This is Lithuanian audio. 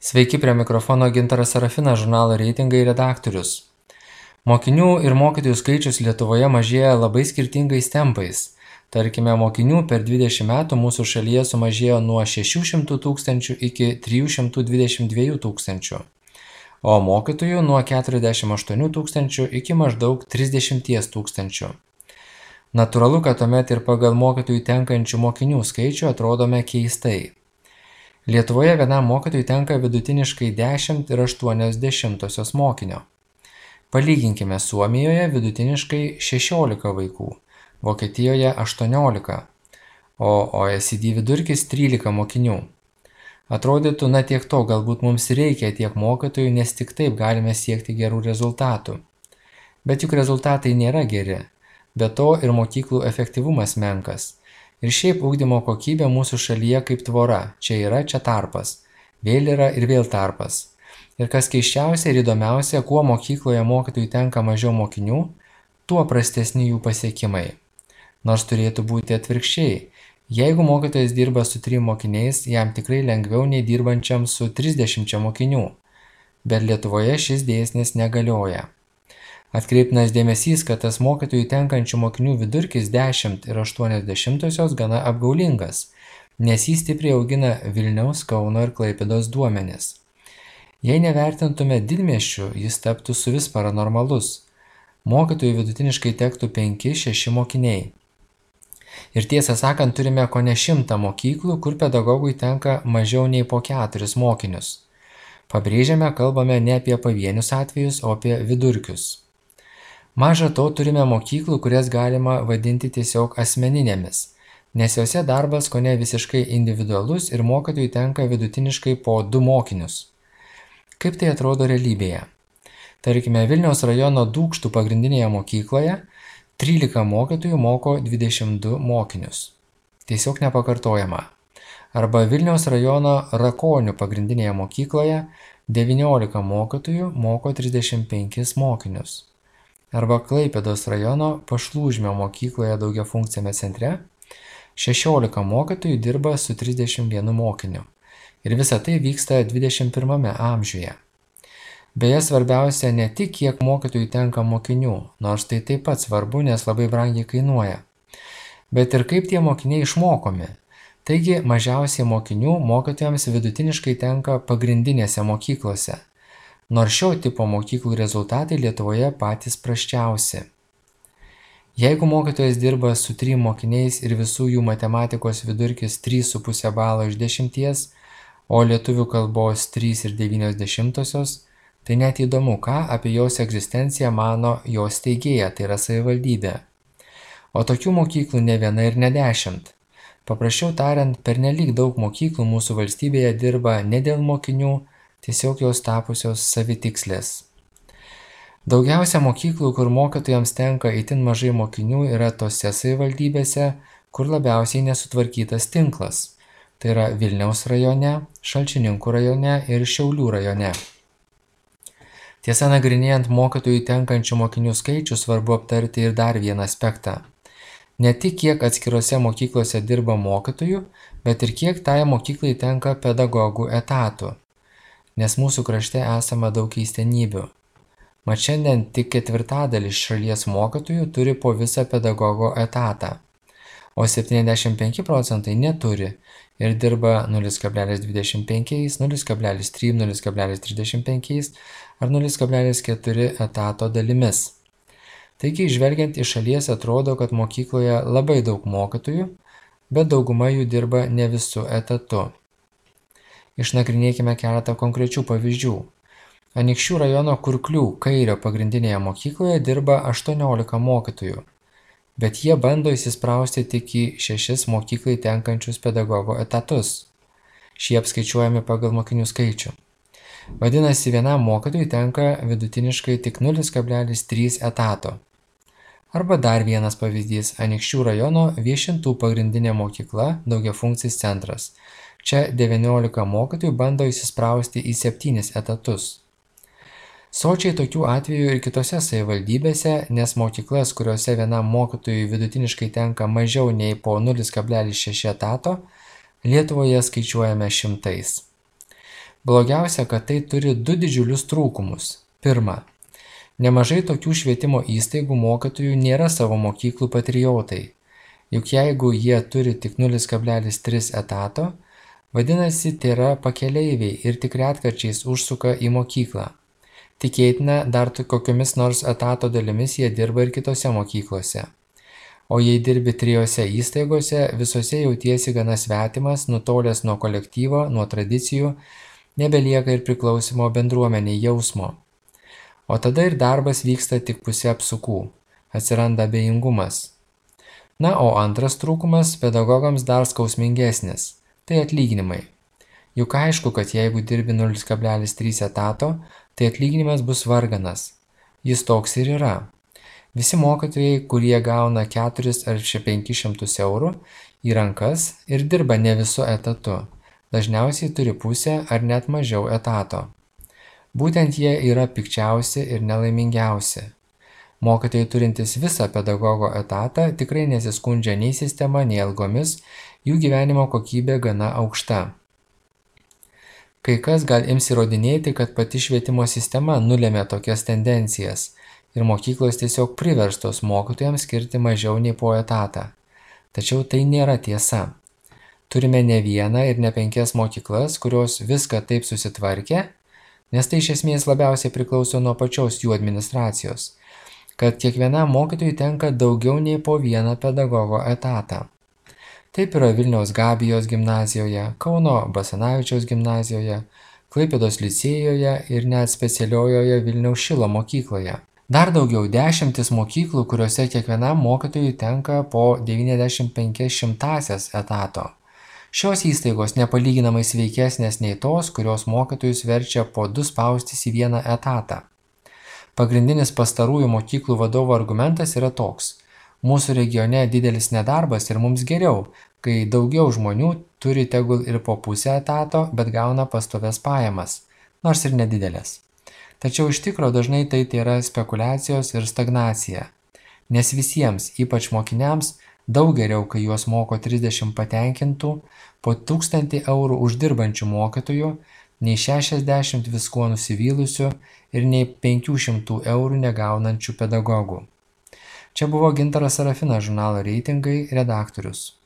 Sveiki, prie mikrofono Gintaras Serafinas, žurnalo reitingai redaktorius. Mokinių ir mokytojų skaičius Lietuvoje mažėja labai skirtingais tempais. Tarkime, mokinių per 20 metų mūsų šalyje sumažėjo nuo 600 tūkstančių iki 322 tūkstančių, o mokytojų nuo 48 tūkstančių iki maždaug 30 tūkstančių. Natūralu, kad tuomet ir pagal mokytojų tenkančių mokinių skaičių atrodome keistai. Lietuvoje vienam mokytojui tenka vidutiniškai 10,8 mokinio. Palyginkime, Suomijoje vidutiniškai 16 vaikų, Vokietijoje 18, o OECD vidurkis 13 mokinių. Atrodytų, tiek to, galbūt mums reikia tiek mokytojų, nes tik taip galime siekti gerų rezultatų. Bet juk rezultatai nėra geri, be to ir mokyklų efektyvumas menkas. Ir šiaip ugdymo kokybė mūsų šalyje kaip tvora, čia yra, čia tarpas, vėl yra ir vėl tarpas. Ir kas keisčiausia ir įdomiausia, kuo mokykloje mokytojui tenka mažiau mokinių, tuo prastesni jų pasiekimai. Nors turėtų būti atvirkščiai. Jeigu mokytojas dirba su 3 mokiniais, jam tikrai lengviau nei dirbančiam su 30 mokinių. Bet Lietuvoje šis dėsnis negalioja. Atkreiptinas dėmesys, kad tas mokytojų tenkančių mokinių vidurkis 10,8 gana apgaulingas, nes jį stipriai augina Vilniaus, Kauno ir Klaipėdos duomenys. Jei nevertintume didmiesčių, jis taptų suvis paranormalus. Mokytojų vidutiniškai tektų 5-6 mokiniai. Ir tiesą sakant, turime kone 100 mokyklų, kur pedagogui tenka mažiau nei po 4 mokinius. Pabrėžiame, kalbame ne apie pavienius atvejus, o apie vidurkius. Maža to, turime mokyklų, kurias galima vadinti tiesiog asmeninėmis, nes jose darbas kone visiškai individualus ir mokytojui tenka vidutiniškai po 2 mokinius. Kaip tai atrodo realybėje? Tarkime, Vilniaus rajono Dūkštų pagrindinėje mokykloje 13 mokytojų moko 22 mokinius. Tiesiog nepakartojama. Arba Vilniaus rajono Rakonių pagrindinėje mokykloje 19 mokytojų moko 35 mokinius. Arba Klaipėdos rajono Pašlūžmio mokykloje daugiafunkciame centre 16 mokytojų dirba su 31 mokiniu. Ir visa tai vyksta 21 amžiuje. Beje, svarbiausia ne tik, kiek mokytojų tenka mokinių, nors tai taip pat svarbu, nes labai brangiai kainuoja, bet ir kaip tie mokiniai išmokomi. Taigi, mažiausiai mokinių mokytojams vidutiniškai tenka pagrindinėse mokyklose. Nors šio tipo mokyklų rezultatai Lietuvoje patys prasčiausi. Jeigu mokytojas dirba su 3 mokiniais ir visų jų matematikos vidurkis 3,5 balo iš 10, o lietuvių kalbos 3,9, tai net įdomu, ką apie jos egzistenciją mano jos steigėja, tai yra savivaldybė. O tokių mokyklų ne viena ir ne 10. Paprasčiau tariant, pernelyg daug mokyklų mūsų valstybėje dirba ne dėl mokinių, tiesiog jos tapusios savitikslės. Daugiausia mokyklų, kur mokytojams tenka itin mažai mokinių, yra tose savivaldybėse, kur labiausiai nesutvarkytas tinklas. Tai yra Vilniaus rajone, Šalčininkų rajone ir Šiaulių rajone. Tiesa, nagrinėjant mokytojų tenkančių mokinių skaičių, svarbu aptarti ir dar vieną aspektą. Ne tik kiek atskirose mokyklose dirba mokytojų, bet ir kiek tai mokyklai tenka pedagogų etatų. Nes mūsų krašte esama daug keistenybių. Mat šiandien tik 1/4 šalies mokytojų turi po visą pedagogo etatą, o 75% neturi ir dirba 0,25, 0,3, 0,35 ar 0,4 etato dalimis. Taigi, žvelgiant iš šalies atrodo, kad mokykloje labai daug mokytojų, bet dauguma jų dirba ne visų etatu. Išnagrinėkime keletą konkrečių pavyzdžių. Anykščių rajono Kurklių Kairio pagrindinėje mokykloje dirba 18 mokytojų, bet jie bando įsisprausti tik į 6 mokyklai tenkančius pedagogo etatus. Šie apskaičiuojami pagal mokinių skaičių. Vadinasi, vienam mokytojui tenka vidutiniškai tik 0,3 etato. Arba dar vienas pavyzdys – Anykščių rajono Viešintų pagrindinė mokykla daugiafunkcis centras. Čia 19 mokytojų bando įsisprausti į 7 etatus. Sočiai tokių atvejų ir kitose savivaldybėse, nes mokyklas, kuriuose vienam mokytojui vidutiniškai tenka mažiau nei po 0,6 etato, Lietuvoje skaičiuojame šimtais. Blogiausia, kad tai turi du didžiulius trūkumus. Pirma, nemažai tokių švietimo įstaigų mokytojų nėra savo mokyklų patriotai. Juk jeigu jie turi tik 0,3 etato, vadinasi, tai yra pakeleiviai ir tik retkarčiais užsuka į mokyklą. Tikėtina, dar kokiomis nors etato dalimis jie dirba ir kitose mokyklose. O jei dirbi 3 įstaigose, visose jautiesi gana svetimas, nutolęs nuo kolektyvo, nuo tradicijų, nebelieka ir priklausimo bendruomeniai jausmo. O tada ir darbas vyksta tik pusė apsukų, atsiranda abejingumas. Na, o antras trūkumas pedagogams dar skausmingesnis – tai atlyginimai. Juk aišku, kad jeigu dirbi 0,3 etato, tai atlyginimas bus varganas. Jis toks ir yra. Visi mokytojai, kurie gauna 4 ar 500 eurų į rankas ir dirba ne visu etatu, dažniausiai turi pusę ar net mažiau etato. Būtent jie yra pikčiausi ir nelaimingiausi. Mokytojai turintys visą pedagogo etatą tikrai nesiskundžia nei sistema, nei algomis, jų gyvenimo kokybė gana aukšta. Kai kas gal ims įrodinėti, kad pati švietimo sistema nulėmė tokias tendencijas ir mokyklos tiesiog priverstos mokytojams skirti mažiau nei po etatą. Tačiau tai nėra tiesa. Turime ne vieną ir ne 5 mokyklas, kurios viską taip susitvarkė, nes tai iš esmės labiausiai priklauso nuo pačios jų administracijos, kad kiekvienam mokytojui tenka daugiau nei po 1 pedagogo etatą. Taip yra Vilniaus Gabijos gimnazijoje, Kauno Basanavičiaus gimnazijoje, Klaipėdos licėjoje ir net specialiojoje Vilniaus Šilo mokykloje. Dar daugiau 10 mokyklų, kuriuose kiekvienam mokytojui tenka po 95/100 etato. Šios įstaigos nepalyginamai sveikesnės nei tos, kurios mokytojus verčia po 2 spaustis į 1 etatą. Pagrindinis pastarųjų mokyklų vadovų argumentas yra toks: mūsų regione didelis nedarbas ir mums geriau, kai daugiau žmonių turi tegul ir po pusę etato, bet gauna pastovias pajamas, nors ir nedidelės. Tačiau iš tikro dažnai tai yra spekulacijos ir stagnacija, nes visiems, ypač mokiniams, daug geriau, kai juos moko 30 patenkintų, po 1000 eurų uždirbančių mokytojų, nei 60 viskuo nusivylusių ir nei 500 eurų negaunančių pedagogų. Čia buvo Gintaras Sarafinas, žurnalo Reitingai redaktorius.